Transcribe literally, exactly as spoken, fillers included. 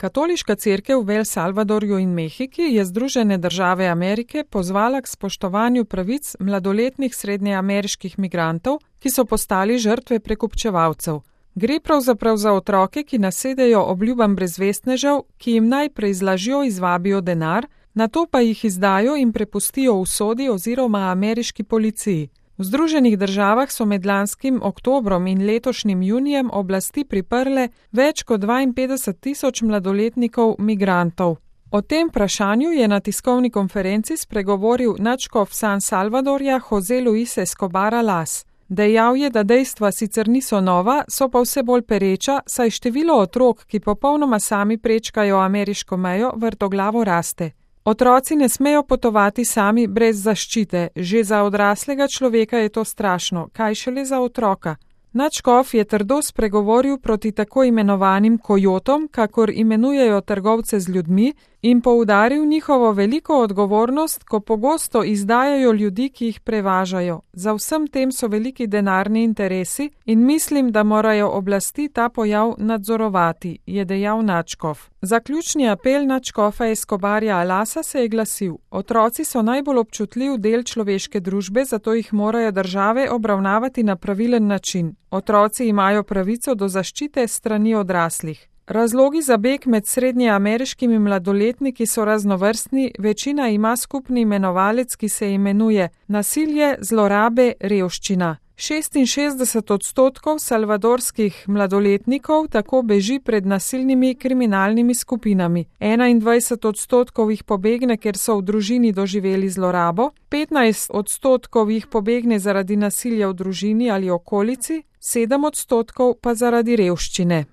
Katoliška cerkev v El Salvadorju in Mehiki je Združene države Amerike pozvala k spoštovanju pravic mladoletnih srednjeameriških migrantov, ki so postali žrtve prekupčevalcev. Gre pravzaprav za otroke, ki nasedejo obljubam brezvestnežev, ki jim najprej z lažjo izvabijo denar, nato pa jih izdajo in prepustijo usodi oziroma ameriški policiji. V Združenih državah so med lanskim oktobrom in letošnjim junijem oblasti priprle več kot dvainpetdeset tisoč mladoletnikov migrantov. O tem vprašanju je na tiskovni konferenci spregovoril nadškof San Salvadorja José Luis Escobar Alas. Dejal je, da dejstva sicer niso nova, so pa vse bolj pereča, saj število otrok, ki popolnoma sami prečkajo ameriško mejo, vrtoglavo raste. Otroci ne smejo potovati sami brez zaščite, že za odraslega človeka je to strašno, kaj šele za otroka. Nadškof je trdo spregovoril proti tako imenovanim kojotom, kakor imenujejo trgovce z ljudmi, in poudaril njihovo veliko odgovornost, ko pogosto izdajajo ljudi, ki jih prevažajo. Za vsem tem so veliki denarni interesi in mislim, da morajo oblasti ta pojav nadzorovati, je dejal nadškof. Zaključni apel nadškofa Escobarja Alasa se je glasil: otroci so najbolj občutljiv del človeške družbe, zato jih morajo države obravnavati na pravilen način. Otroci imajo pravico do zaščite strani odraslih. Razlogi za beg med srednjeameriškimi mladoletniki so raznovrstni, večina ima skupni imenovalec, ki se imenuje nasilje, zlorabe, revščina. šestinšestdeset odstotkov salvadorskih mladoletnikov tako beži pred nasilnimi kriminalnimi skupinami. enaindvajset odstotkov jih pobegne, ker so v družini doživeli zlorabo, petnajst odstotkov jih pobegne zaradi nasilja v družini ali okolici, sedem odstotkov pa zaradi revščine.